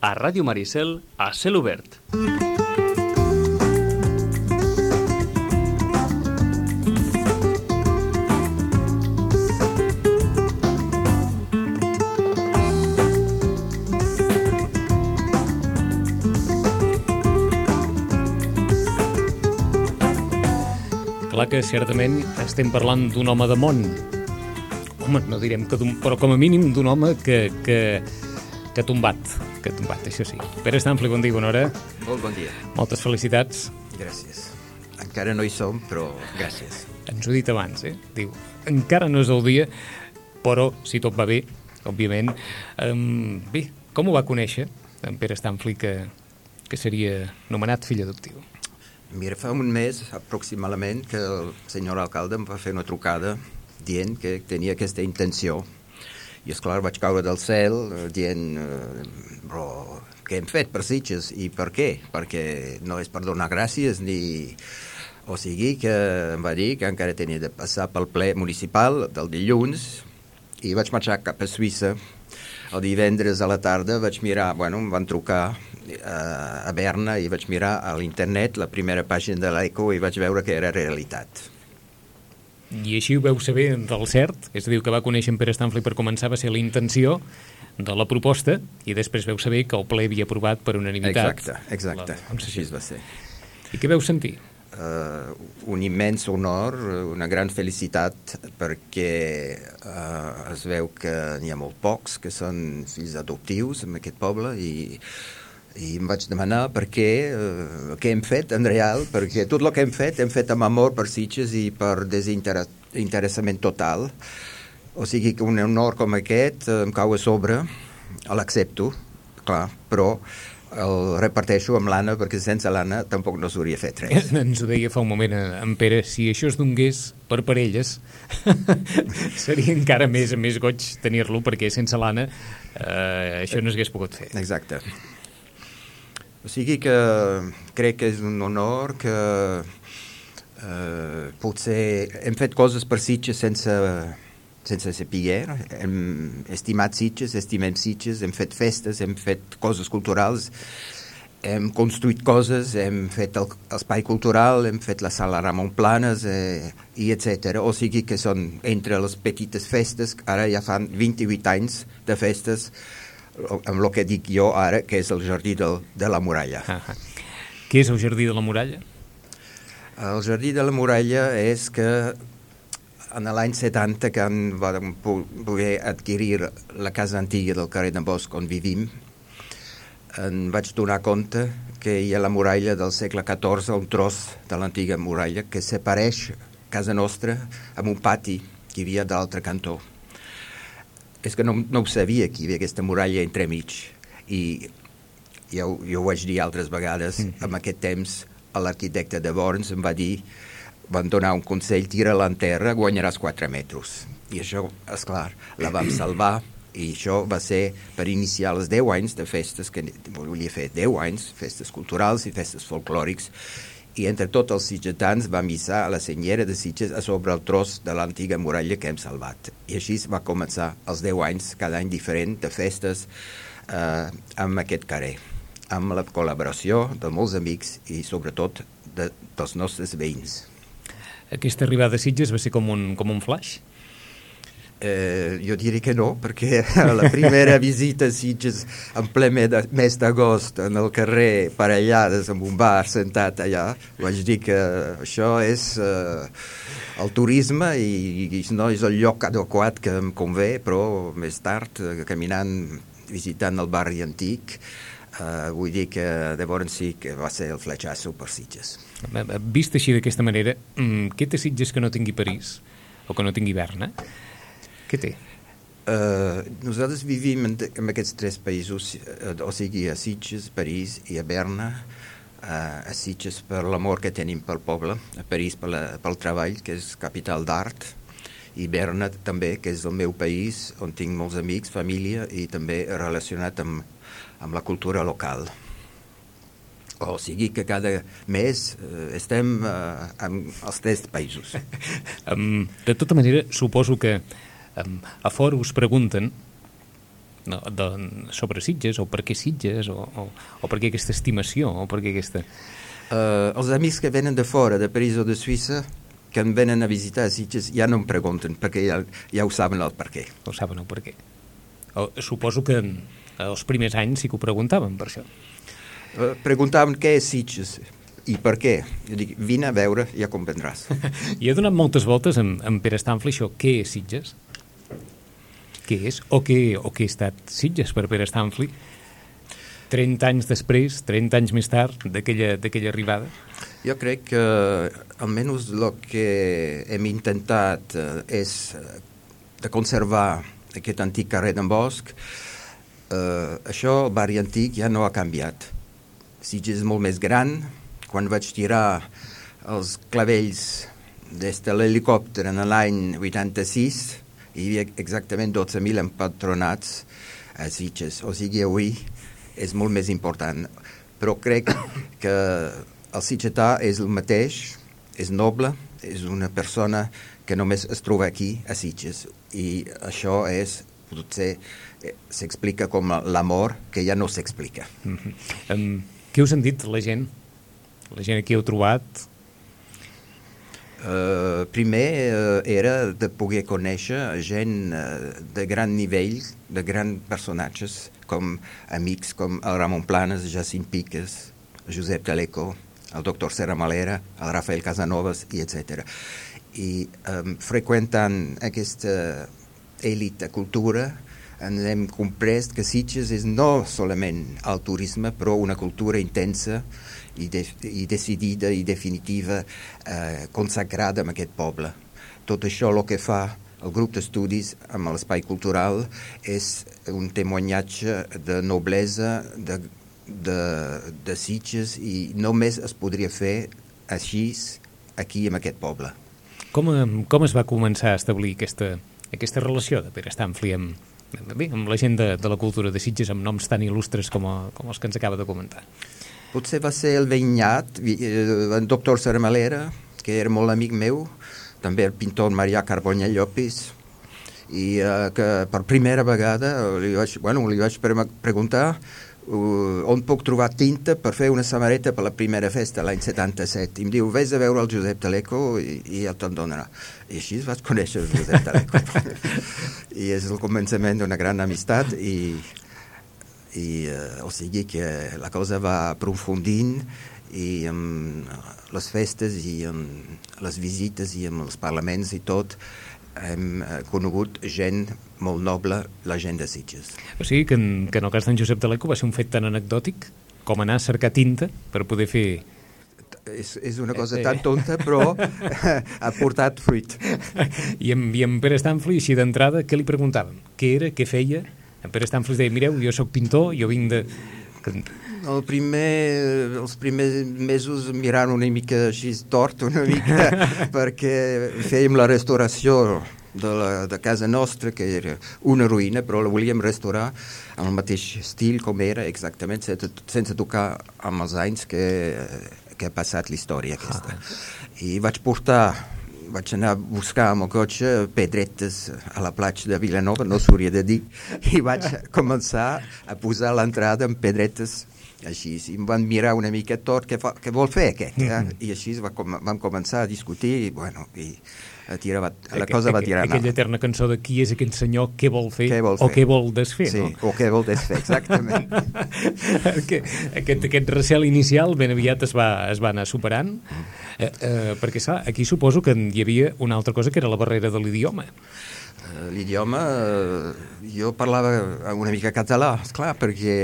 a Ràdio Maricel, a cel obert. Clar que certament estem parlant d'un home de món. Home, no direm que però com a mínim d'un home que ha tombat, això sí. Pere Stanfli, bon dia, bona hora. Molt bon dia. Moltes felicitats. Gràcies. Encara no hi som, però gràcies. Ens ho he dit abans, Diu, encara no és el dia, però si tot va bé, òbviament. Bé, com ho va conèixer, en Pere Stanfli, que seria nomenat fill adoptiu? Mira, fa un mes aproximadament que el senyor alcalde em va fer una trucada dient que tenia aquesta intenció. I, esclar, vaig caure del cel dient, però què hem fet per Sitges i per què? Perquè no és per donar gràcies ni... O sigui que em va dir que encara tenia de passar pel ple municipal del dilluns i vaig marxar cap a Suïssa. El divendres a la tarda vaig mirar, em van trucar a Berna i vaig mirar a l'internet la primera pàgina de l'Eco i vaig veure que era realitat. I així ho veu saber del cert? És a dir, que va conèixer en Pere Stanfli per començar va ser la intenció de la proposta i després veu saber que el ple havia aprovat per unanimitat. Exacte. Així va ser. I què veu sentir? Un immens honor, una gran felicitat perquè es veu que n'hi ha molt pocs que són fills adoptius en aquest poble i em vaig demanar per què hem fet en real, perquè tot el que hem fet amb amor per Sitges i per desinteressament total. O sigui que un honor com aquest em cau a sobre, l'accepto, clar, però el reparteixo amb l'Anna perquè sense l'Anna tampoc no s'hauria fet res. Ens ho deia fa un moment en Pere, si això es donés per parelles seria encara més goig tenir-lo perquè sense l'Anna això no s'hagués pogut fer. Exacte. O sigui que crec que és un honor que potser hem fet coses per Sitges sense saber, hem estimat Sitges, estimem Sitges, hem fet festes, hem fet coses culturals, hem construït coses, hem fet l'espai cultural, hem fet la sala Ramon Planes, i etc. O sigui que són entre les petites festes, ara ja fan 28 anys de festes, amb el que dic jo ara, que és el Jardí de la Muralla. Què és el Jardí de la Muralla? El Jardí de la Muralla és que en l'any 70, que vam poder adquirir la casa antiga del carrer de Bosch on vivim, em vaig donar compte que hi ha la muralla del segle XIV, un tros de l'antiga muralla que separeix casa nostra amb un pati que hi havia de l'altre cantó. És que no ho sabia que hi havia aquesta muralla entremig i jo ho vaig dir altres vegades, en aquest temps l'arquitecte de Borns em va dir, van donar un consell, tira-la en terra, guanyaràs 4 metres. I això, esclar, la vam salvar i això va ser per iniciar els 10 anys de festes, que volia fer 10 anys, festes culturals i festes folclòrics, i entre tots els sitgetans vam hissar a la senyera de Sitges a sobre el tros de l'antiga muralla que hem salvat. I així va començar els 10 anys, cada any diferent, de festes amb aquest carrer, amb la col·laboració de molts amics i sobretot dels nostres veïns. Aquesta arribada a Sitges va ser com un flash? Jo diria que no, perquè la primera visita a Sitges en ple mes d'agost en el carrer Parellades amb un bar sentat allà, vaig dir que això és el turisme i no és el lloc adequat que em convé, però més tard, caminant, visitant el barri antic, vull dir que llavors sí que va ser el fletxasso per Sitges. Vist així d'aquesta manera, què té Sitges que no tingui París o que no tingui Berna? Què té? Nosaltres vivim en aquests 3 països, o sigui a Sitges, París i a Berna. A Sitges per l'amor que tenim pel poble, a París pel treball, que és capital d'art, i Berna també, que és el meu país, on tinc molts amics, família, i també relacionat amb la cultura local. O sigui que cada mes estem en els 3 països. De tota manera, suposo que a fora us pregunten sobre Sitges, o per què Sitges, o per què aquesta estimació, o per què aquesta... Els amics que venen de fora, de París o de Suïssa, que em venen a visitar Sitges, ja no em pregunten, perquè ja ho saben el per què. Ho saben el per què. Suposo que els primers anys sí que ho preguntaven per això. Preguntaven què és Sitges i per què. Jo dic, vine a veure, ja comprendràs. I he donat moltes voltes amb Pere Stanfli això. Què és Sitges? Què és? O què ha estat Sitges per Pere Stanfli? 30 anys després, 30 anys més tard d'aquella arribada? Jo crec que almenys el que hem intentat és de conservar aquest antic carrer d'en Bosch. Això, el barri antic, ja no ha canviat. Sitges és molt més gran. Quan vaig tirar els clavells des de l'helicòpter en l'any 86, hi havia exactament 12.000 empadronats a Sitges. O sigui, avui és molt més important. Però crec que el sitgetà és el mateix, és noble, és una persona que només es troba aquí, a Sitges. I això és, potser, s'explica com l'amor, que ja no s'explica. Què us han dit la gent? La gent que heu trobat? Primer era de poder conèixer gent de gran nivell, de grans personatges, com amics com el Ramon Planes, Jacint Piques, Josep Taleco, el doctor Serra Malera, el Rafael Casanovas, i etc. I freqüentant aquesta elit de cultura ens hem comprès que Sitges és no solament el turisme, però una cultura intensa i decidida i definitiva, consacrada en aquest poble. Tot això el que fa el grup d'estudis amb l'espai cultural és un temoniatge de noblesa de Sitges, i només es podria fer així aquí en aquest poble. Com es va començar a establir aquesta relació de Pere Stanfli amb la gent de la cultura de Sitges, amb noms tan il·lustres com els que ens acaba de comentar? Potser va ser el veïnat, el doctor Serra Malera, que era molt amic meu, també el pintor Marià Carbonell Llopis, i que per primera vegada li vaig preguntar on puc trobar tinta per fer una samarreta per la primera festa l'any 77. I em diu, vés a veure el Josep Taleco i ja te'n donarà. I així vaig conèixer el Josep Taleco. I és el començament d'una gran amistat, o sigui que la cosa va aprofundint, i amb les festes i amb les visites i amb els parlaments i tot hem conegut gent molt noble, la gent de Sitges. O sigui que en el cas d'en Josep Taleco va ser un fet tan anecdòtic com anar a cercar tinta per poder fer... És una cosa tan tonta, però ha portat fruit. I en Pere Stanfli, així d'entrada, què li preguntàvem? Què era, què feia? En Pere Stanfli deia, mireu, jo sóc pintor, jo vinc de... Els primers mesos mirant una mica així tort, una mica, perquè fèiem la restauració de casa nostra, que era una ruïna, però la volíem restaurar amb el mateix estil com era, exactament, sense tocar amb els anys que ha passat la història aquesta. I vaig anar a buscar amb el cotxe pedretes a la platja de Vilanova, no s'hauria de dir, i vaig començar a posar l'entrada amb pedretes així. I em van mirar una mica tot, què vol fer aquest? I així vam començar a discutir, i la cosa va tirar. Aquella eterna cançó de qui és aquest senyor, què vol fer, o què vol desfer, sí, no? O què vol desfer, exactament. Aquest recel inicial ben aviat es va anar superant, perquè aquí suposo que hi havia una altra cosa que era la barrera de l'idioma. L'idioma, jo parlava una mica català, esclar, perquè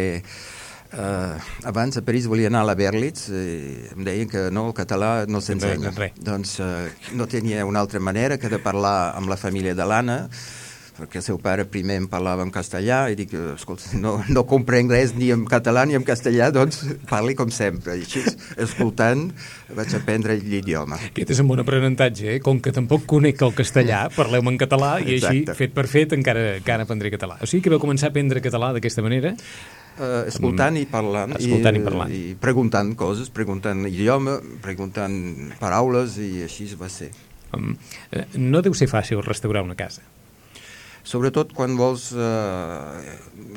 abans a París volia anar a la Berlitz, em deien que no, el català no s'ensenya. Doncs no tenia una altra manera que de parlar amb la família de l'Anna, perquè el seu pare primer em parlava en castellà, i dic, escolta, no comprenc res ni en català ni en castellà, doncs parli com sempre. I així, escoltant, vaig aprendre l'idioma. Aquest és un bon aprenentatge, com que tampoc conec el castellà, parleu-me en català, i així, fet per fet, encara aprendré català. O sigui que vau començar a aprendre català d'aquesta manera? Escoltant i parlant, i preguntant coses, preguntant idioma, preguntant paraules, i així va ser. No deu ser fàcil restaurar una casa. sobretot quan vols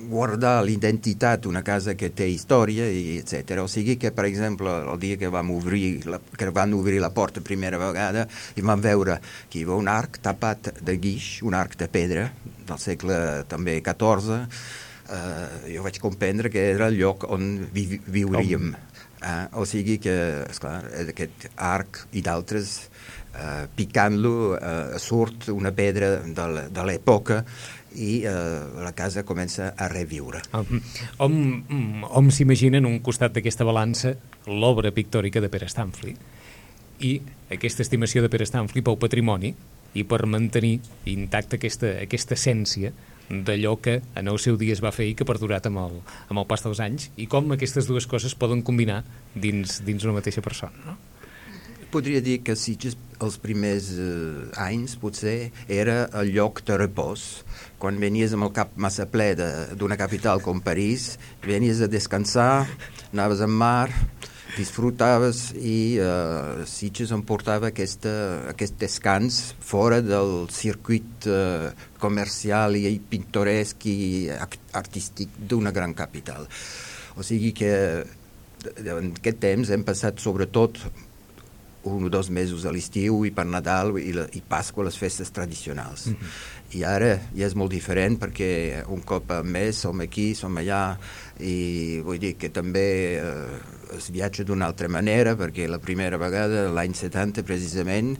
guardar l'identitat d'una casa que té història, i etc. O sigui que, per exemple, el dia que van obrir la porta primera vegada i vam veure que hi havia un arc tapat de guix, un arc de pedra del segle també XIV, jo vaig comprendre que era el lloc on viuríem. O sigui que, esclar, aquest arc i d'altres, picant-lo, surt una pedra de l'època i la casa comença a reviure. Hom s'imagina en un costat d'aquesta balança l'obra pictòrica de Pere Stanfli i aquesta estimació de Pere Stanfli pel patrimoni i per mantenir intacta aquesta essència d'allò que en el seu dia es va fer i que ha perdurat amb el pas dels anys, i com aquestes dues coses poden combinar dins una mateixa persona, no? Podria dir que Sitges els primers anys potser era el lloc de repòs. Quan venies amb el cap massa ple d'una capital com París, venies a descansar, anaves al mar, disfrutaves, i Sitges em portava aquest descans fora del circuit comercial i pintoresc i artístic d'una gran capital. O sigui que en aquest temps hem passat sobretot 1 o 2 mesos a l'estiu i per Nadal i Pasqua, les festes tradicionals. I ara ja és molt diferent perquè un cop al mes som aquí, som allà, i vull dir que també es viatja d'una altra manera, perquè la primera vegada, l'any 70 precisament,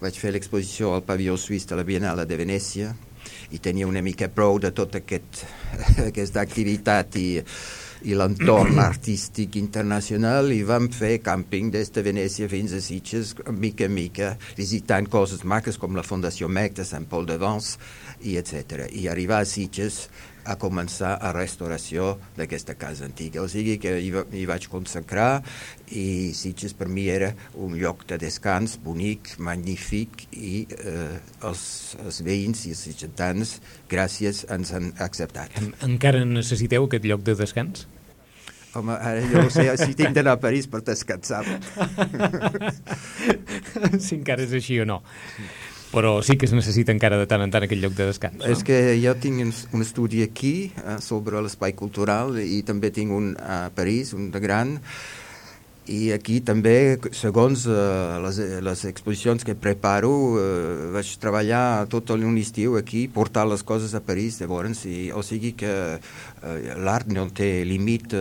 vaig fer l'exposició al pavelló suís de la Biennale de Venècia i tenia una mica prou de tota aquesta activitat i l'entorn artístic internacional, i vam fer càmping des de Venècia fins a Sitges, mica en mica, visitant coses maques com la Fundació Mec de Sant Pol de Vence, i etc. I arribar a Sitges a començar la restauració d'aquesta casa antiga. O sigui que hi vaig consacrar, i Sitges per mi era un lloc de descans bonic, magnífic, i els veïns i els sitgetans, gràcies, ens han acceptat. Encara necessiteu aquest lloc de descans? Home, ara jo no sé si tinc d'anar a París per descansar. Si encara és així o no. Però sí que es necessita encara de tant en tant aquest lloc de descans, no? És que jo tinc un estudi aquí sobre l'espai cultural, i també tinc un a París, un de gran, i aquí també, segons les exposicions que preparo, vaig treballar tot un estiu aquí, portar les coses a París, llavors, o sigui que l'art no té límit,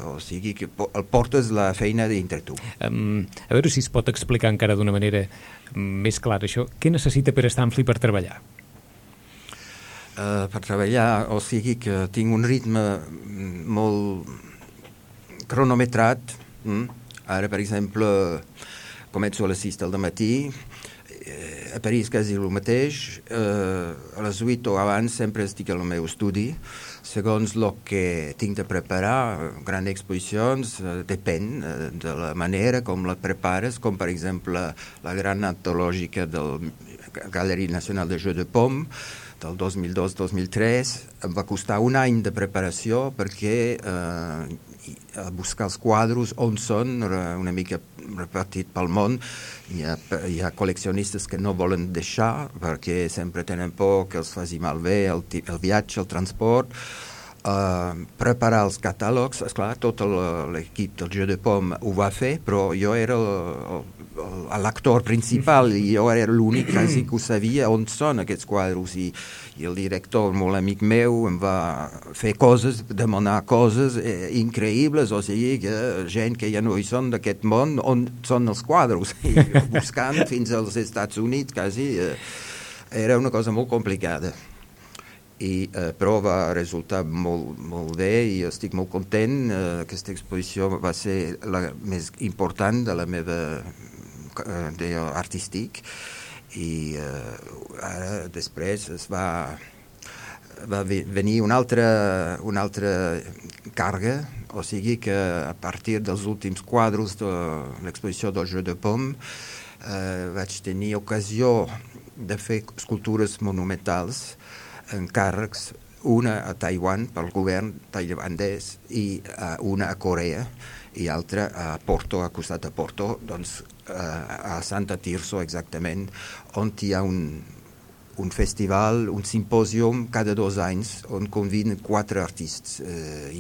o sigui que el portes la feina dintre tu. A veure si es pot explicar encara d'una manera més clara això. Què necessita Pere Stanfli per treballar? Per treballar, o sigui que tinc un ritme molt cronometrat. Ara, per exemple, començo a les 6 del matí, a París quasi el mateix, a les 8 o abans sempre estic al meu estudi, segons el que tinc de preparar, grans exposicions, depèn de la manera com la prepares, com per exemple la gran antològica del Galeria Nacional de Jeux de Paume, del 2002-2003, em va costar un any de preparació perquè buscar els quadres on són, una mica repartit pel món. Hi ha col·leccionistes que no volen deixar perquè sempre tenen por que els faci malbé el viatge, el transport. Preparar els catàlegs, esclar, tot l'equip del Jeu de Paume ho va fer, però jo era l'actor principal i jo era l'únic quasi que ho sabia on són aquests quadres, i el director, molt amic meu, em va fer coses, demanar coses increïbles, o sigui que gent que ja no hi són d'aquest món, on són els quadres, i buscant fins als Estats Units quasi, era una cosa molt complicada. Però va resultar molt bé i estic molt content. Aquesta exposició va ser la més important de la meva artístic, i ara després va venir una altra càrrega, o sigui que a partir dels últims quadres de l'exposició del Jeu de Paume vaig tenir ocasió de fer escultures monumentals, encàrrecs, una a Taiwan pel govern tailandès i una a Corea i altra a Porto, a costat de Porto, doncs a Santa Tirso exactament, on hi ha un festival, un simpòsium cada 2 anys on conviden 4 artistes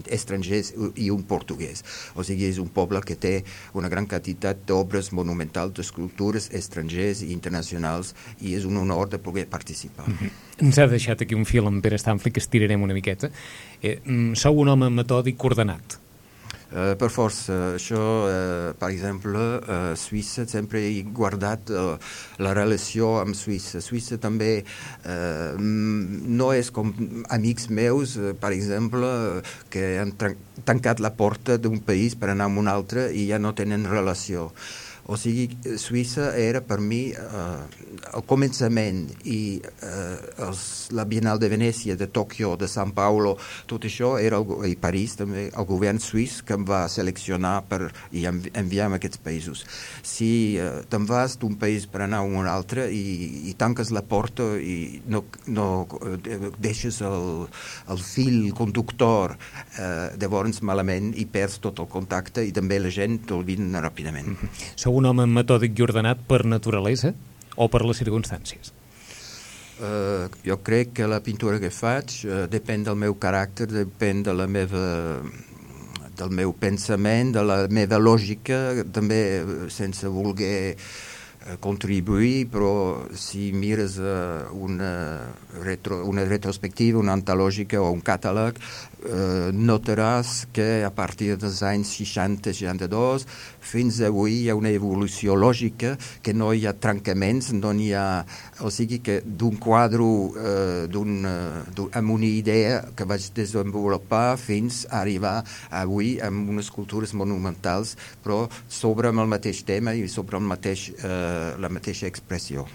estrangers i un portuguès. O sigui, és un poble que té una gran quantitat d'obres monumentals, d'escultures estrangers i internacionals, i és un honor de poder participar. Ens ha deixat aquí un fil amb Pere Stanfli que estirarem una miqueta. Sou un home metòdic ordenat. Per força, això, per exemple, Suïssa sempre he guardat la relació amb Suïssa. Suïssa també no és com amics meus, per exemple, que han tancat la porta d'un país per anar a un altre i ja no tenen relació. O sigui, Suïssa era per mi el començament i la Bienal de Venècia, de Tòquio, de São Paulo, tot això era, i París també, el govern suís que em va seleccionar i enviar a aquests països. Si te'n vas d'un país per anar a un altre i tanques la porta i no deixes el fil conductor, llavors malament i perds tot el contacte i també la gent t'olviden ràpidament. Sou un home metòdic i ordenat per naturalesa o per les circumstàncies? Jo crec que la pintura que faig depèn del meu caràcter, depèn de del meu pensament, de la meva lògica, també sense voler contribuir, però si mires una retrospectiva, una antològica o un catàleg, notaràs que a partir dels anys 60-62 fins avui hi ha una evolució lògica, que no hi ha trencaments, no hi ha... O sigui que d'un quadre amb una idea que vaig desenvolupar fins a arribar avui amb unes escultures monumentals, però sobre el mateix tema i sobre la mateixa expressió.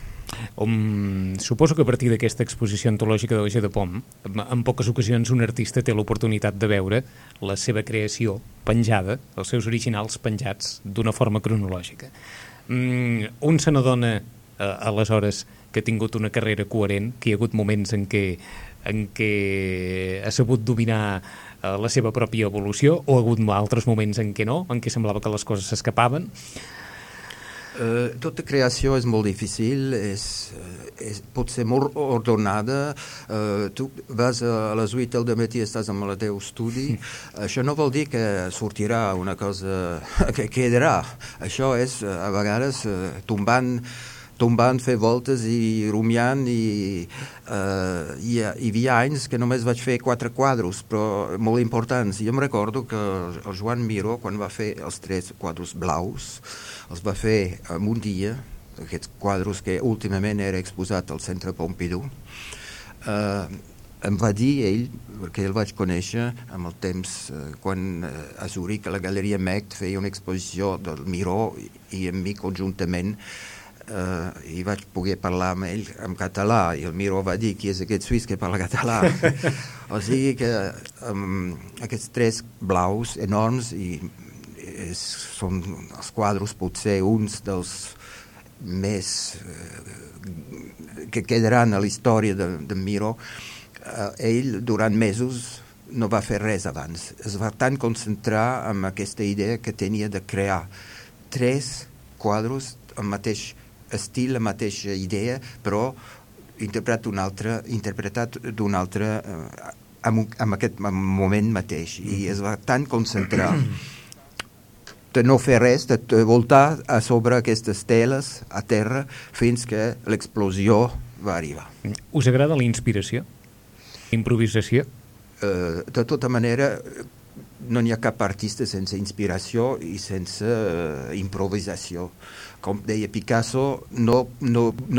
Suposo que a partir d'aquesta exposició antològica de la G de Pom, en poques ocasions un artista té l'oportunitat de veure la seva creació penjada, els seus originals penjats d'una forma cronològica. Un se n'adona aleshores que ha tingut una carrera coherent, que hi ha hagut moments en què ha sabut dominar la seva pròpia evolució, o ha hagut altres moments en què no, en què semblava que les coses s'escapaven. Tota creació és molt difícil, pot ser molt ordenada. Tu vas a les 8 del matí, estàs amb el teu estudi. Això no vol dir que sortirà una cosa que quedarà. Això és, a vegades, tombant, fer voltes i rumiant, i hi havia anys que només vaig fer 4 quadres, però molt importants. Jo em recordo que el Joan Miró, quan va fer els 3 quadres blaus, els va fer en un dia, aquests quadres que últimament era exposat al Centre Pompidou. Em va dir ell, perquè el vaig conèixer amb el temps, quan a Zuric, a la Galeria Mect, feia una exposició del Miró i amb mi conjuntament, i vaig poder parlar amb ell en català, i el Miró va dir qui és aquest suís que parla català. O sigui que aquests 3 blaus enormes, i són els quadres potser uns dels més que quedaran a la història de Miró. Ell durant mesos no va fer res abans, es va tan concentrar en aquesta idea que tenia de crear 3 quadres amb mateix estil, la mateixa idea, però interpretat d'un altre en aquest moment mateix, i es va tan concentrar de no fer res, de voltar a sobre aquestes teles a terra fins que l'explosió va arribar. Us agrada la inspiració? Improvisació? De tota manera, no n'hi ha cap artista sense inspiració i sense improvisació. Com deia Picasso, no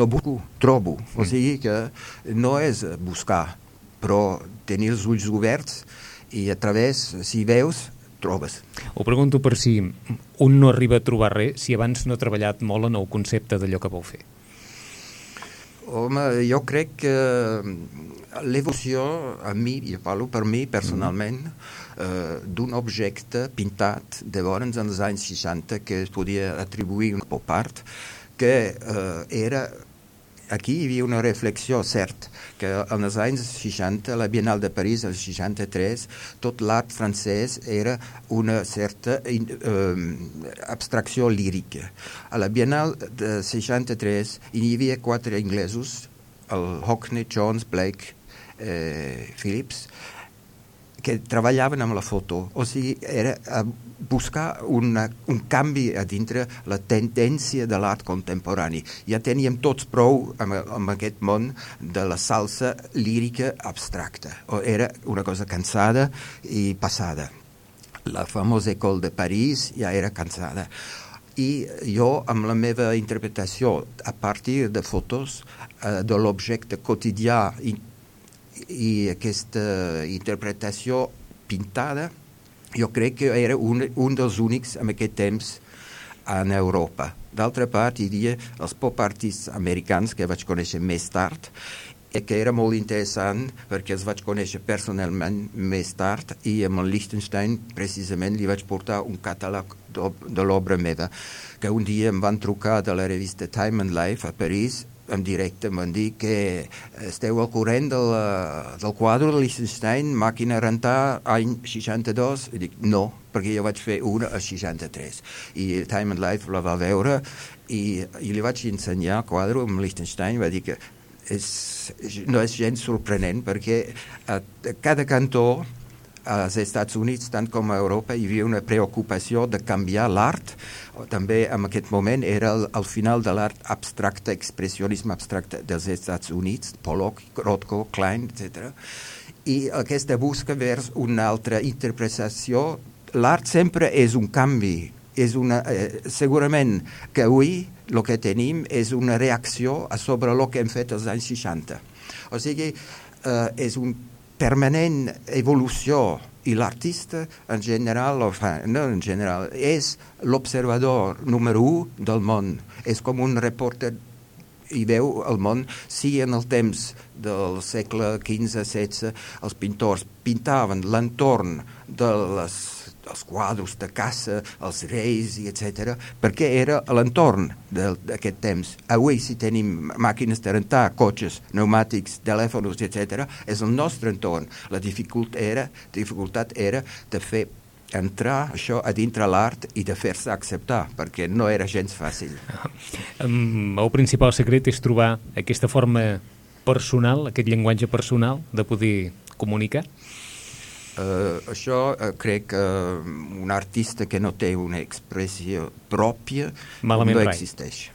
busco, trobo. O sigui que no és buscar, però tenir els ulls oberts i a través, si veus, trobes. Ho pregunto per si un no arriba a trobar res si abans no ha treballat molt en el concepte d'allò que vol fer. Home, jo crec que l'evolució, a mi, jo parlo per mi personalment, d'un objecte pintat de llavors en els anys 60 que es podia atribuir un pop art, que era... Aquí hi havia una reflexió, cert, que en els anys 60, la Bienal de París, el 63, tot l'art francès era una certa abstracció lírica. A la Bienal de 63 hi havia 4 inglesos, el Hockney, Jones, Blake, Phillips, que treballaven amb la foto. O sigui, era buscar un canvi a dintre la tendència de l'art contemporani. Ja teníem tots prou amb aquest món de la salsa lírica abstracta. Era una cosa cansada i passada. La famosa École de París ja era cansada. I jo, amb la meva interpretació, a partir de fotos de l'objecte quotidià i aquesta interpretació pintada, jo crec que era un dels únics en aquest temps en Europa. D'altra part, hi havia els pop artists americans que vaig conèixer més tard, que era molt interessant perquè els vaig conèixer personalment més tard i amb el Lichtenstein precisament li vaig portar un catàleg de l'obra meva, que un dia em van trucar de la revista Time and Life a París en directe, em van dir que esteu al corrent del quadre de Lichtenstein, Màquina a rentar, any 62, i dic no, perquè jo vaig fer una a 63 i Time and Life la va veure i li vaig ensenyar el quadre amb Lichtenstein, va dir que no és gens sorprenent perquè a cada cantó als Estats Units, tant com a Europa, hi havia una preocupació de canviar l'art. També en aquest moment era el final de l'art abstracte, expressionisme abstracte dels Estats Units, Pollock, Rothko, Klein, etc. I aquesta busca vers una altra interpretació. L'art sempre és un canvi. Segurament que avui el que tenim és una reacció sobre el que hem fet als anys 60. O sigui, és un permanent evolució i l'artista en general, no en general, és l'observador número 1 del món. És com un reporter i veu el món, si en el temps del segle XV-XVI els pintors pintaven l'entorn dels quadres de caça, els reis, etc., perquè era l'entorn d'aquest temps. Avui, si tenim màquines de rentar, cotxes, pneumàtics, telèfons, etc., és el nostre entorn. La dificultat era de fer entrar això a dintre l'art i de fer-se acceptar, perquè no era gens fàcil. El principal secret és trobar aquesta forma personal, aquest llenguatge personal de poder comunicar? Això crec que un artista que no té una expressió pròpia no existeix.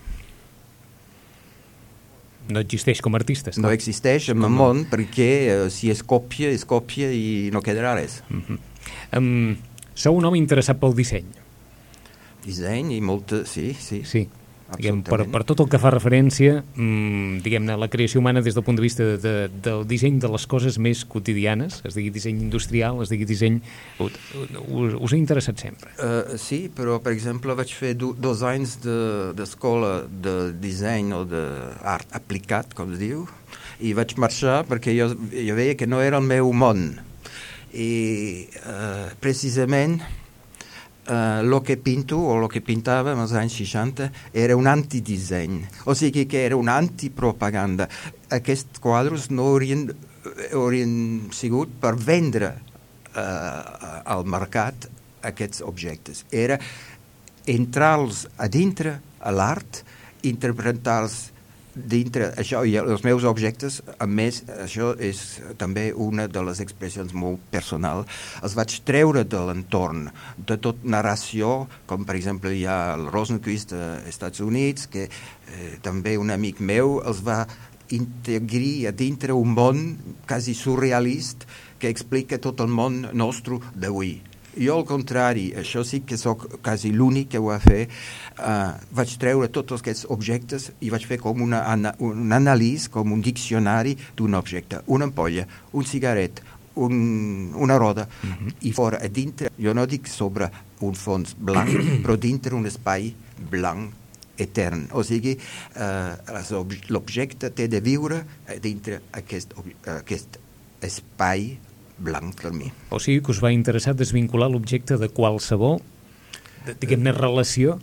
No existeix com a artista? No existeix en el món perquè si és còpia i no quedarà res. Sou un home interessat pel disseny? Disseny i molta... Sí. Per tot el que fa referència, diguem-ne, a la creació humana des del punt de vista del disseny de les coses més quotidianes, es digui disseny industrial, es digui disseny... Us ha interessat sempre? Sí, però, per exemple, vaig fer 2 anys d'escola de disseny o d'art aplicat, com es diu, i vaig marxar perquè jo veia que no era el meu món. I precisament el que pinto o el que pintava als anys 60 era un antidisseny, o sigui que era una antipropaganda. Aquests quadres no haurien sigut per vendre al mercat aquests objectes. Era entrar-los a dintre a l'art, interpretar-los dintre això, i els meus objectes, a més, això és també una de les expressions molt personal, els vaig treure de l'entorn, de tot narració, com per exemple hi ha el Rosenquist als Estats Units, que també un amic meu els va integrir a dintre un món quasi surrealista que explica tot el món nostre d'avui. Jo, al contrari, això sí que sóc quasi l'únic que ho va fer. Vaig treure tots aquests objectes i vaig fer com un anàlisi, com un diccionari d'un objecte. Una ampolla, un cigarret, una roda, i fora, a dintre, jo no dic sobre un fons blanc, però dintre un espai blanc etern. O sigui, l'objecte té de viure dintre aquest espai blanc per mi. O sigui que us va interessar desvincular l'objecte de qualsevol, diguem-ne, relació?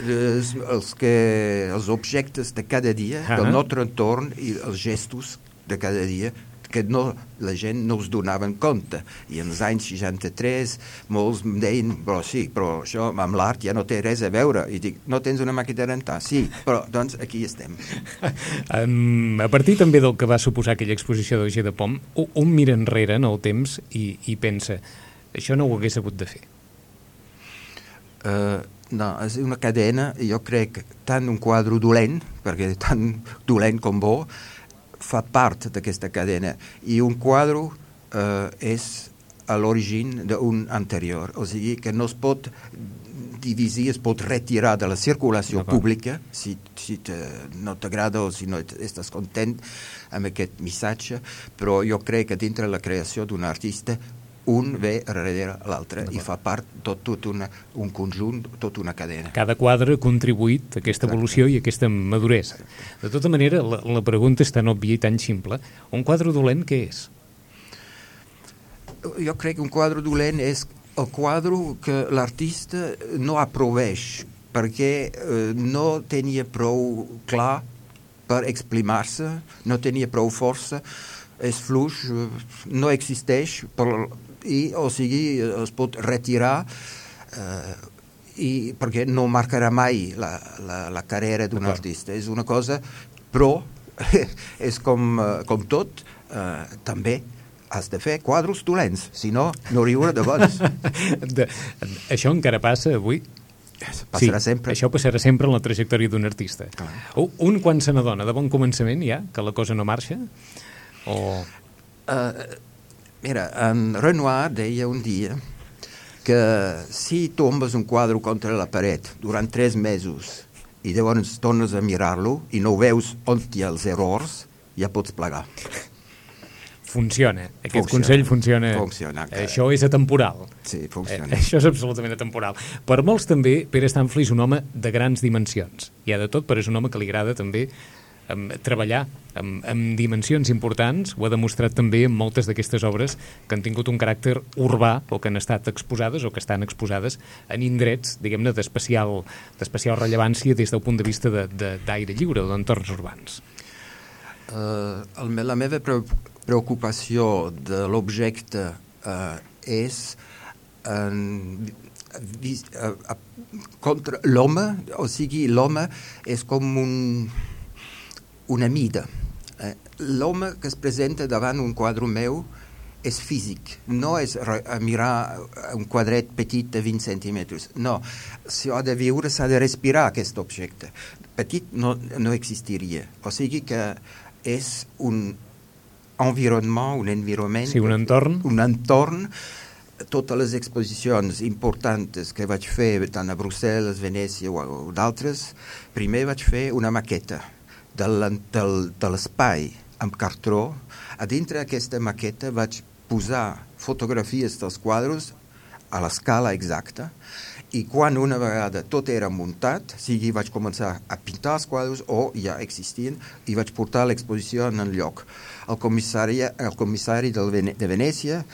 Els objectes de cada dia, del nostre entorn i els gestos de cada dia que no, la gent no es donava en compte. I en els anys 63 molts em deien, però sí, però això amb l'art ja no té res a veure. I dic, no tens una màquina de rentar? Sí, però doncs aquí estem. A partir també del que va suposar aquella exposició d'Auger de Pom, un mira enrere en el temps i pensa, això no ho hagués hagut de fer. No, és una cadena, jo crec, tant un quadre dolent, perquè tant dolent com bo, fa part d'aquesta cadena, i un quadre és a l'origen d'un anterior, o sigui que no es pot dividir, es pot retirar de la circulació pública si no t'agrada o si no estàs content amb aquest missatge, però jo crec que dintre la creació d'un artista un ve darrere l'altre i fa part tot un conjunt, tota una cadena. Cada quadre ha contribuït a aquesta evolució i a aquesta maduresa. De tota manera, la pregunta és tan òbvia i tan simple. Un quadre dolent què és? Jo crec que un quadre dolent és el quadre que l'artista no aproveeix perquè no tenia prou clar per exprimar-se, no tenia prou força, és fluix, no existeix, o sigui, es pot retirar perquè no marcarà mai la carrera d'un artista. És una cosa, però és com tot, també has de fer quadres dolents, si no, no riure de bons. Això encara passa avui? Passarà sempre. Això passarà sempre en la trajectòria d'un artista. Un quan se n'adona de bon començament ja, que la cosa no marxa? Mira, en Renoir deia un dia que si tombes un quadre contra la paret durant 3 mesos i llavors tornes a mirar-lo i no veus on hi ha els errors, ja pots plegar. Funciona. Aquest consell funciona. Això és atemporal. Sí, funciona. Això és absolutament atemporal. Per molts també, Pere Stanfli és un home de grans dimensions. Hi ha de tot, però és un home que li agrada també treballar amb dimensions importants. Ho ha demostrat també en moltes d'aquestes obres que han tingut un caràcter urbà o que han estat exposades o que estan exposades en indrets, diguem-ne, d'especial rellevància des del punt de vista d'aire lliure o d'entorns urbans. La meva preocupació de l'objecte és contra l'home, o sigui, l'home és com una mida. L'home que es presenta davant un quadre meu és físic, no és mirar un quadret petit de 20 centímetres. No, si ha de viure, s'ha de respirar aquest objecte. Petit no existiria. O sigui que és un environment, sí, un entorn. Totes les exposicions importants que vaig fer tant a Brussel·les, Venècia o d'altres, primer vaig fer una maqueta de l'espai amb cartró. A dintre d'aquesta maqueta vaig posar fotografies dels quadres a l'escala exacta i quan una vegada tot era muntat, sigui vaig començar a pintar els quadres o ja existien i vaig portar l'exposició en el lloc. El comissari de Venècia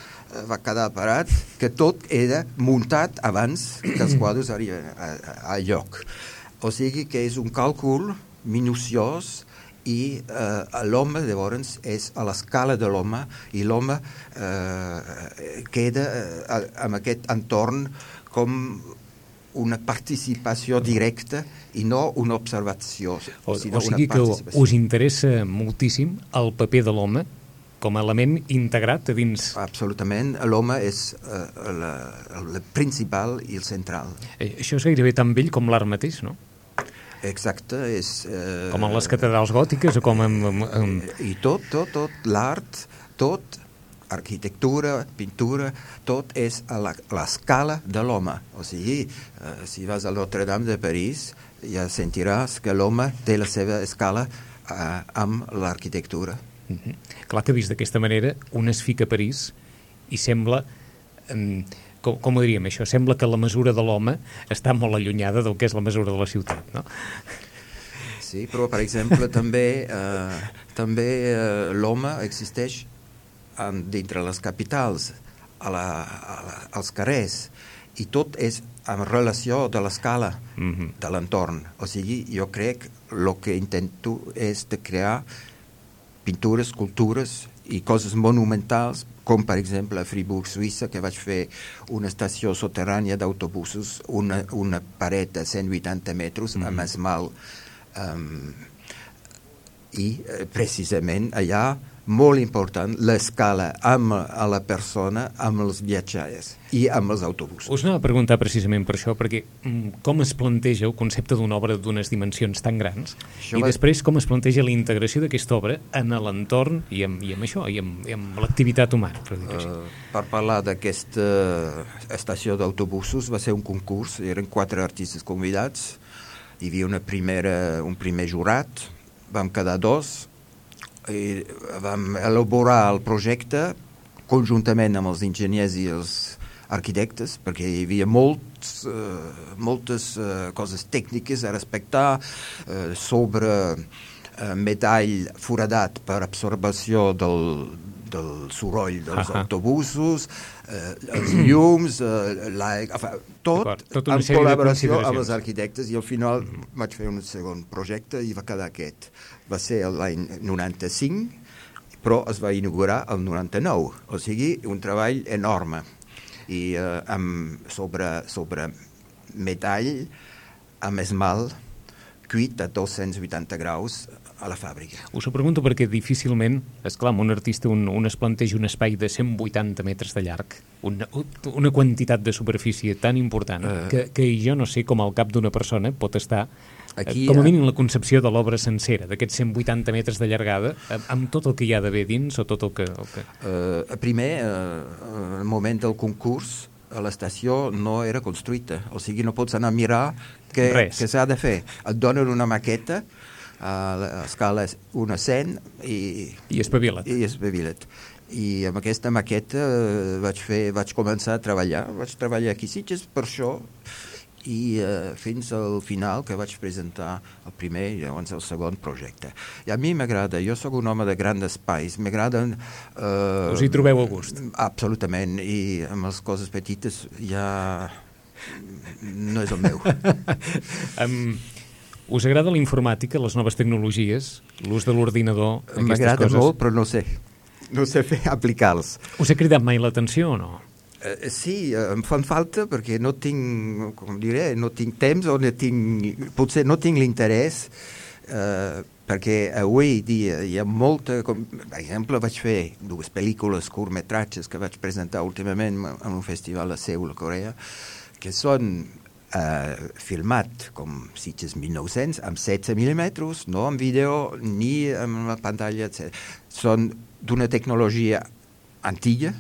va quedar parat que tot era muntat abans que els quadres arriben al lloc. O sigui que és un càlcul minuciós i l'home llavors és a l'escala de l'home i l'home queda amb aquest entorn com una participació directa i no una observació. O sigui que us interessa moltíssim el paper de l'home com a element integrat a dins... Absolutament, l'home és el principal i el central. Això és gairebé tan vell com l'art mateix, no? Exacte, és... Com en les catedrals gòtiques o com en... I tot, l'art, tot, arquitectura, pintura, tot és a l'escala de l'home. O sigui, si vas a Notre-Dame de París, ja sentiràs que l'home té la seva escala amb l'arquitectura. Clar que vist d'aquesta manera, un es fica a París i sembla... Com ho diríem, això? Sembla que la mesura de l'home està molt allunyada del que és la mesura de la ciutat, no? Sí, però, per exemple, també l'home existeix dintre les capitals, als carrers, i tot és en relació de l'escala de l'entorn. O sigui, jo crec que el que intento és de crear pintures, escultures i coses monumentals, com per exemple a Fribourg, Suïssa, que vaig fer una estació soterrània d'autobusos, una paret de 180 metres amb esmalt, i precisament allà molt important l'escala amb la persona, amb els viatgers i amb els autobusos. Us anava a preguntar precisament per això, perquè com es planteja el concepte d'una obra d'unes dimensions tan grans i després com es planteja la integració d'aquesta obra en l'entorn i amb això, i amb l'activitat humana, per dir-ho així. Per parlar d'aquesta estació d'autobusos va ser un concurs, eren 4 artistes convidats, hi havia un primer jurat, vam quedar 2, i vam elaborar el projecte conjuntament amb els enginyers i els arquitectes, perquè hi havia moltes coses tècniques a respectar sobre metall foradat per absorbació del soroll dels autobusos, els llums, tot en col·laboració amb els arquitectes, i al final vaig fer un segon projecte i va quedar aquest. Va ser l'any 95, però es va inaugurar el 99, o sigui, un treball enorme, i sobre metall amb esmalt cuit a 280 graus a la fàbrica. Us ho pregunto perquè difícilment, esclar, un artista un es planteja un espai de 180 metres de llarg, una quantitat de superfície tan important que jo no sé com al cap d'una persona pot estar aquí, com a mínim la concepció de l'obra sencera, d'aquests 180 metres de llargada, amb tot el que hi ha d'haver dins o tot el que... Primer, al moment del concurs, l'estació no era construïda, o sigui, no pots anar a mirar què s'ha de fer. Et donen una maqueta, l'escala és 1:100 i espavila't. I amb aquesta maqueta vaig començar a treballar. Vaig treballar aquí a Sitges per això, i fins al final que vaig presentar el primer i llavors el segon projecte. I a mi m'agrada, jo sóc un home de grans espais, m'agraden... Us hi trobeu a gust? Absolutament, i amb les coses petites ja no és el meu. Us agrada la informàtica, les noves tecnologies, l'ús de l'ordinador, aquestes coses? M'agrada molt, però no sé aplicar-los. Us ha cridat mai l'atenció o no? Sí, em fan falta perquè no tinc, com diré, no tinc temps o potser no tinc l'interès, perquè avui dia hi ha molta... Per exemple, vaig fer 2 pel·lícules curtmetratges que vaig presentar últimament en un festival a Seul, a Corea, que són filmat com Sitges 1900, amb 16 mm, no amb vídeo ni amb la pantalla, etc. Són d'una tecnologia antiga,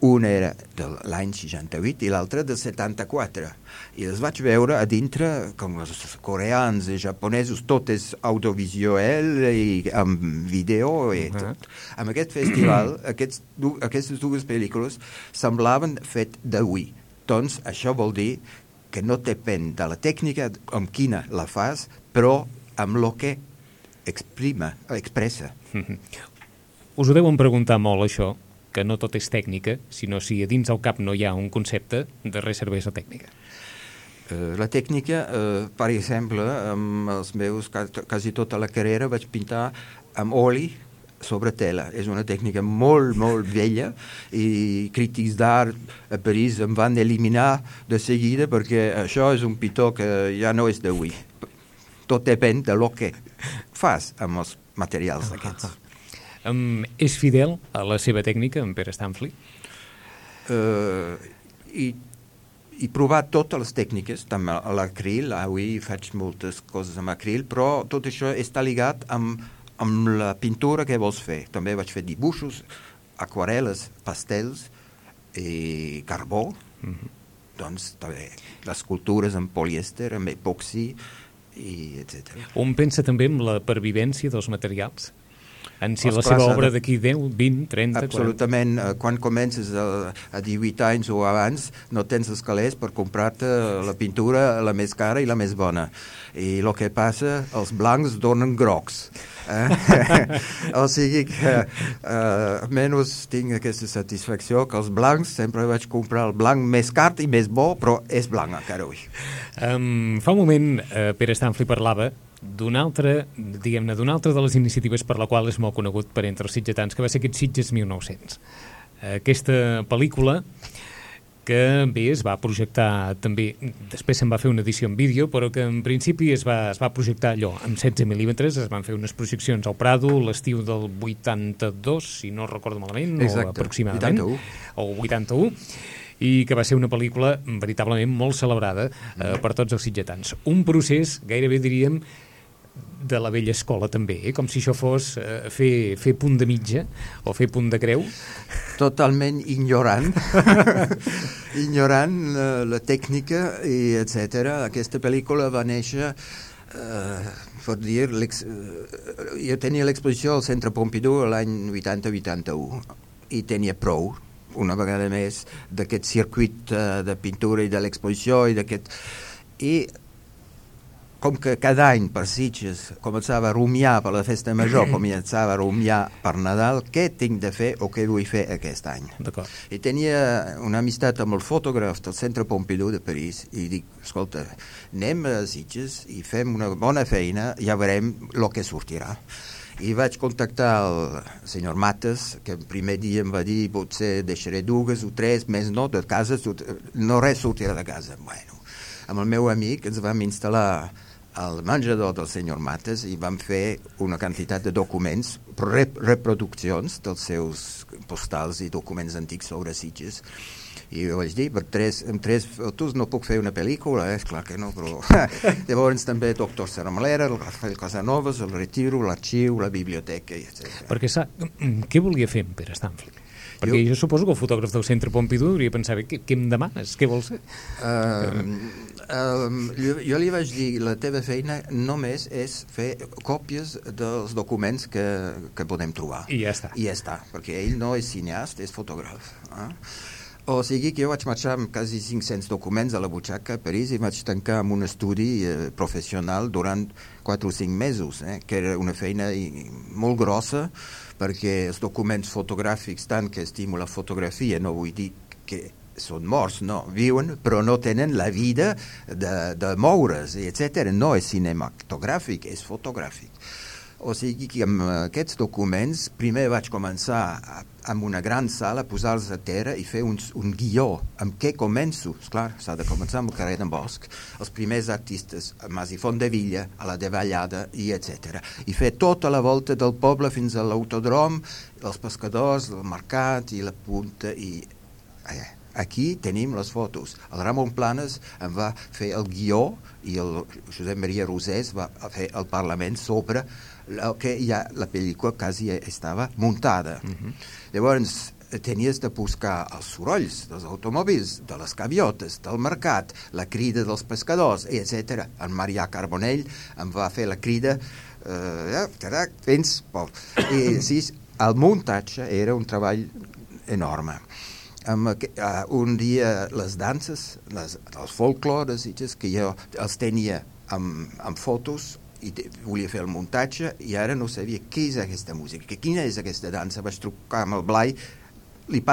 una era de l'any 68 i l'altra del 74. I els vaig veure a dintre, com els coreans i japonesos, tot és audiovisual i amb vídeo i tot. Amb aquest festival, aquestes 2 pel·lícules semblaven fet d'avui. Doncs això vol dir que no depèn de la tècnica amb quina la fas, però amb el que expressa. Us ho deuen preguntar molt, això, que no tot és tècnica, sinó si a dins el cap no hi ha un concepte, de res serveix la tècnica. La tècnica, per exemple, amb els meus, quasi tota la carrera vaig pintar amb oli sobre tela. És una tècnica molt, molt vella, i crítics d'art a París em van eliminar de seguida perquè això és un pitó que ja no és d'avui. Tot depèn de lo que fas amb els materials aquests. És fidel a la seva tècnica, en Pere Stanfli? He provat totes les tècniques, també a l'acril, avui faig moltes coses amb acril, però tot això està ligat amb la pintura que vols fer. També vaig fer dibuixos, aquarel·les, pastels i carbó. Doncs també les escultures en polièster, amb epoxi, etc. On pensa també en la pervivència dels materials? En si la seva obra d'aquí 10, 20, 30... Absolutament. Quan comences a 18 anys o abans, no tens els calés per comprar-te la pintura la més cara i la més bona. I el que passa, els blancs donen grocs. O sigui que almenys tinc aquesta satisfacció que els blancs sempre vaig comprar el blanc més car i més bo, però és blanc encara avui. Fa un moment Pere Stanfli parlava d'una altra de les iniciatives per la qual és molt conegut per entre els sitgetans, que va ser aquest Sitges 1900. Aquesta pel·lícula que bé es va projectar també, després se'n va fer una edició en vídeo, però que en principi es va projectar allò amb 16 mil·límetres, es van fer unes projeccions al Prado l'estiu del 82, si no recordo malament, exacte, o aproximadament, 81. o 81, i que va ser una pel·lícula veritablement molt celebrada per tots els sitgetans. Un procés, gairebé diríem, de la vella escola també, com si això fos fer punt de mitja o fer punt de creu. Totalment ignorant la tècnica i etc. Aquesta pel·lícula va néixer per dir, jo tenia l'exposició al Centre Pompidou l'any 80-81 i tenia prou una vegada més d'aquest circuit de pintura i de l'exposició i com que cada any per Sitges començava a rumiar per la festa major, començava a rumiar per Nadal, què tinc de fer o què vull fer aquest any. D'acord. I tenia una amistat amb el fotògraf del Centre Pompidou de París i dic, escolta, anem a Sitges i fem una bona feina, ja veurem el que sortirà. I vaig contactar el senyor Mates, que el primer dia em va dir potser deixaré 2 o 3, més no, de casa, no res sortirà de casa. Bueno, amb el meu amic ens vam instal·lar al menjador del senyor Mates i vam fer una quantitat de documents, reproduccions dels seus postals i documents antics sobre Sitges. I jo vaig dir, amb 3 fotos no puc fer una pel·lícula, esclar que no, però... Llavors també Doctor Serramalera, el Rafael Casanovas, el Retiro, l'arxiu, la biblioteca, etc. Perquè què volia fer en Pere Stanfli? Perquè jo suposo que el fotògraf del Centre Pompidou hauria pensat, què em demanes? Què vols fer? Jo li vaig dir, la teva feina només és fer còpies dels documents que podem trobar. I ja està. I ja està, perquè ell no és cineast, és fotògraf. O sigui que jo vaig marxar amb quasi 500 documents a la butxaca a París i vaig tancar amb un estudi professional durant 4 o 5 mesos, que era una feina molt grossa, perquè els documents fotogràfics, tant que estimo la fotografia, no vull dir que són morts, no, viuen, però no tenen la vida de moure's, etc. No és cinematogràfic, és fotogràfic. O sigui que amb aquests documents primer vaig començar amb una gran sala a posar-los a terra i fer un guió. Amb què començo? Esclar, s'ha de començar amb el carrer d'en Bosch, els primers artistes, a Mas i Fontdevilla, a la Davallada, i etc. I fer tota la volta del poble fins a l'autodrom, els pescadors, el mercat i la punta. I aquí tenim les fotos. El Ramon Planes em va fer el guió i el Josep Maria Rosés va fer el Parlament sobre que ja la pel·lícula quasi estava muntada. Llavors tenies de buscar els sorolls dels automòbils, de les gaviotes, del mercat, la crida dels pescadors, etc. En Marià Carbonell em va fer la crida fins... I sí, el muntatge era un treball enorme. Un dia les danses, els folclores, que jo els tenia amb fotos i volia fer el muntatge i ara no sabia què és aquesta música, quina és aquesta dansa. Vaig trucar amb el Blai, et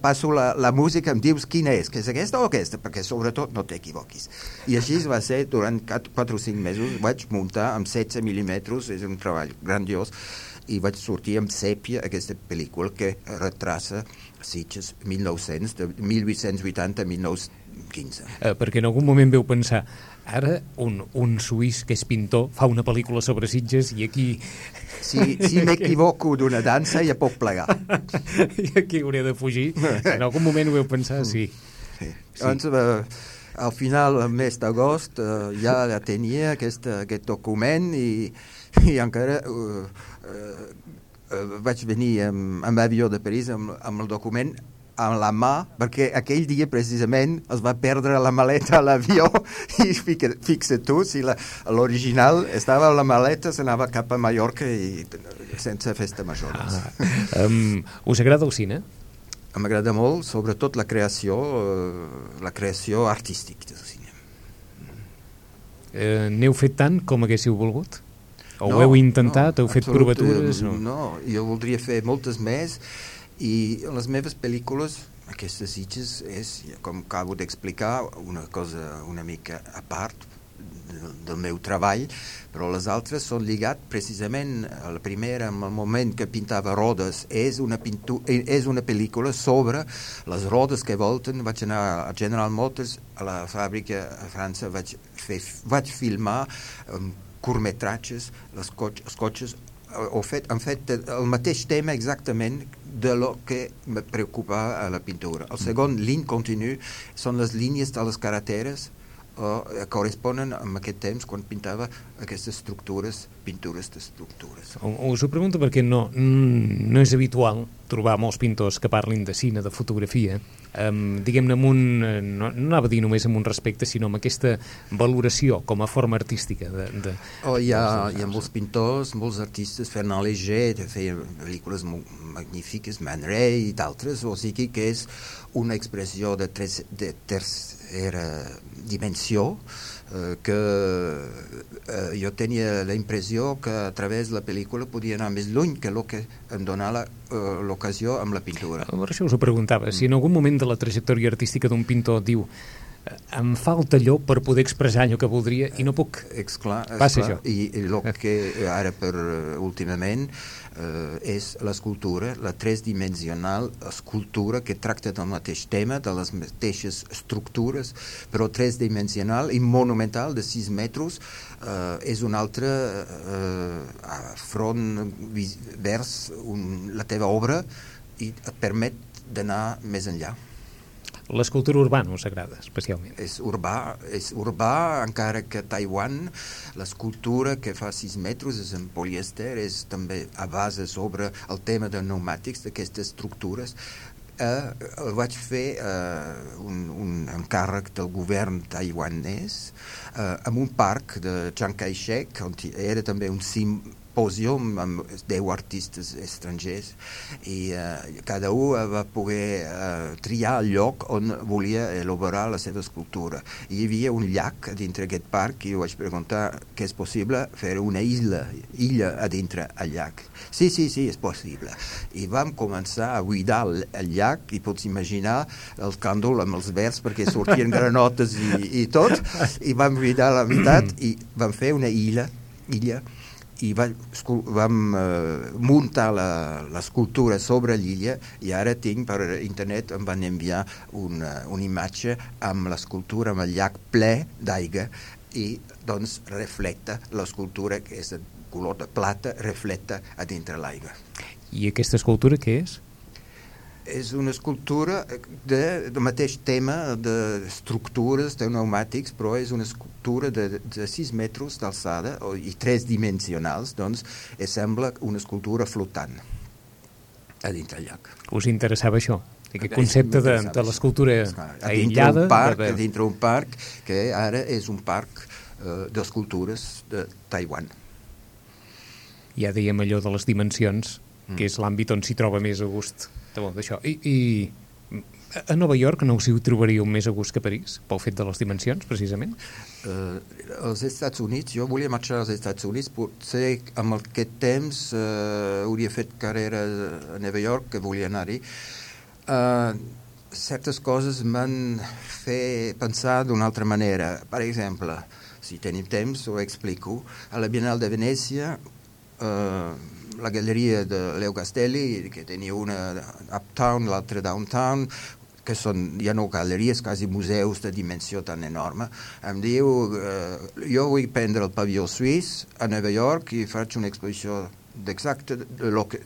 passo la música, em dius quina és, que és aquesta o aquesta, perquè sobretot no t'equivoquis. I així va ser durant 4 o 5 mesos, vaig muntar amb 16 mil·límetres, és un treball grandiós, i vaig sortir amb Sèpia, aquesta pel·lícula que retraça Sitges 1900, de 1880 a 1915. Perquè en algun moment veu pensar, ara un suís que és pintor fa una pel·lícula sobre Sitges i aquí... Si m'equivoco d'una dansa ja puc plegar. I aquí hauré de fugir. En algun moment ho veu pensar, sí. Doncs, al final, el mes d'agost, ja tenia aquest document i encara vaig venir amb avió de París amb el document amb la mà, perquè aquell dia precisament es va perdre la maleta a l'avió i fixa't tu, si l'original estava a la maleta, s'anava cap a Mallorca i sense festa major. Us agrada el cine? M'agrada molt, sobretot la creació artística del cine. N'heu fet tant com haguéssiu volgut? O ho heu intentat? Heu fet provatures? No, jo voldria fer moltes més. I les meves pel·lícules, aquestes Sitges, és, com acabo d'explicar, una cosa una mica a part del meu treball, però les altres són lligats precisament a la primera, en el moment que pintava rodes. És una pel·lícula sobre les rodes que volten. Vaig anar a General Motors, a la fàbrica a França, vaig filmar curtmetratges, els cotxes. Han fet el mateix tema exactament de lo que me preocupa a la pintura. El segon, ligne continu, són les línies de les carreteres corresponen amb aquest temps quan pintava aquestes pintures d'estructures. Us ho pregunto perquè no és habitual trobar molts pintors que parlin de cine, de fotografia, diguem-ne no anava a dir només amb un respecte, sinó amb aquesta valoració com a forma artística. Hi ha molts pintors, molts artistes, Fernand Léger feia pel·lícules magnífiques, Man Ray i d'altres, o sigui que és una expressió de tercera dimensió que jo tenia la impressió que a través de la pel·lícula podia anar més lluny que el que em donava l'ocasió amb la pintura. Per això us ho preguntava, si en algun moment de la trajectòria artística d'un pintor diu em falta allò per poder expressar allò que voldria i no puc. Esclar. I el que ara últimament és l'escultura, la tridimensional escultura que tracta del mateix tema, de les mateixes estructures, però tridimensional i monumental de 6 metres. És un altre front vers la teva obra i et permet d'anar més enllà. L'escultura urbana us agrada especialment? És urbà, encara que a Taiwan l'escultura que fa 6 metres és en polièster, és també a base sobre el tema de pneumàtics, d'aquestes estructures. Vaig fer un encàrrec del govern taiwanès en un parc de Chiang Kai-shek, on era també un simpòsium amb 10 artistes estrangers i cada un va poder triar el lloc on volia elaborar la seva escultura. Hi havia un llac dintre aquest parc i jo vaig preguntar que és possible fer una illa a dintre el llac. Sí, és possible. I vam començar a buidar el llac i pots imaginar el càndol amb els verds perquè sortien granotes i tot, i vam buidar la meitat i vam fer una illa i vam muntar l'escultura sobre l'illa i ara tinc per internet, em van enviar una imatge amb l'escultura amb el llac ple d'aigua i doncs reflecta l'escultura que és de color de plata, reflecta a dintre l'aigua. I aquesta escultura què és? És una escultura del mateix tema d'estructures, de pneumàtics, però és una escultura de 6 metres d'alçada i 3 dimensionals, doncs sembla una escultura flotant a dintre el llac. Us interessava això? Aquest concepte de l'escultura aïllada? A dintre un parc que ara és un parc d'escultures de Taiwan. Ja dèiem allò de les dimensions, que és l'àmbit on s'hi troba més a gust d'això. I a Nova York no us hi trobaríeu més a gust que a París, pel fet de les dimensions, precisament? Als Estats Units, jo volia marxar als Estats Units, potser amb aquest temps hauria fet carrera a Nova York, que volia anar-hi. Certes coses m'han fet pensar d'una altra manera. Per exemple, si tenim temps, ho explico. A la Biennal de Venècia, la galeria de Leo Castelli, que tenia una uptown, l'altra downtown, que són ja no galeries, quasi museus de dimensió tan enorme, em diu jo vull prendre el pavió suís a Nova York i faig una exposició d'exacte de lo que...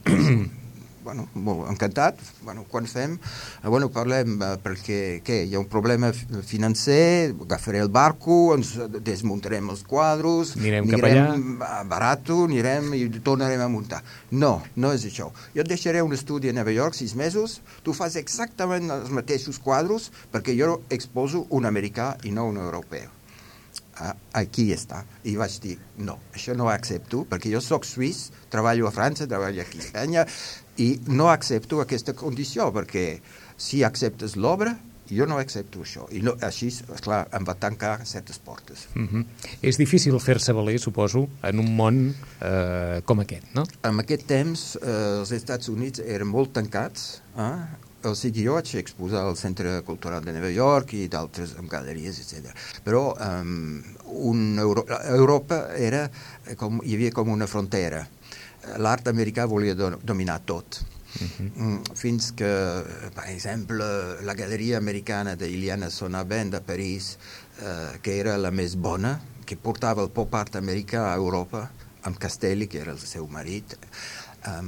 Bueno, molt encantat. Bueno, quan fem? Bueno, parlem perquè hi ha un problema financer, agafaré el barco, ens desmuntarem els quadros, anirem barato, anirem i tornarem a muntar. No és això. Jo et deixaré un estudi a Nova York 6 mesos, tu fas exactament els mateixos quadros perquè jo exposo un americà i no un europeu. Aquí està. I vaig dir, no, això no ho accepto, perquè jo soc suís, treballo a França, treballo aquí a Espanya, i no accepto aquesta condició, perquè si acceptes l'obra, jo no accepto això. I així, esclar, em va tancar certes portes. És difícil fer-se valer, suposo, en un món com aquest, no? En aquest temps, els Estats Units eren molt tancats, O sigui, jo vaig exposar al Centre Cultural de Nova York i d'altres amb galeries, etc. Però Europa era hi havia com una frontera. L'art americà volia dominar tot. Fins que, per exemple, la galeria americana d'Iliana Sonaben de París, que era la més bona, que portava el pop art americà a Europa, amb Castelli, que era el seu marit,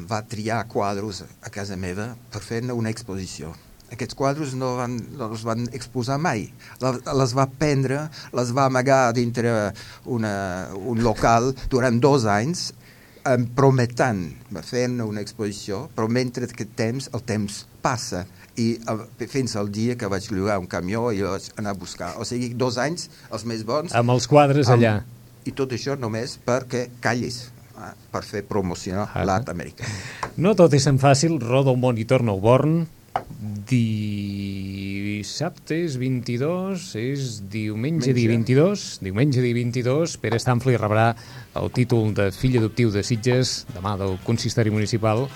va triar quadros a casa meva per fer-ne una exposició. Aquests quadros no els van exposar mai. Les va prendre, les va amagar dintre un local durant 2 anys, prometent fer-ne una exposició, però mentre aquest temps, el temps passa, i fins al dia que vaig llogar un camió i vaig anar a buscar. O sigui, 2 anys, els més bons. Amb els quadres allà. I tot això només perquè callis, per fer promocionar l'art americà. No tot és tan fàcil, roda el món i torna al Born. Dissabte és 22, és diumenge dia 22. Diumenge dia 22, Pere Stanfli rebrà el títol de fill adoptiu de Sitges, demà del consistori municipal.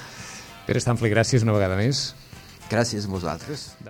Pere Stanfli, gràcies una vegada més. Gràcies a vosaltres.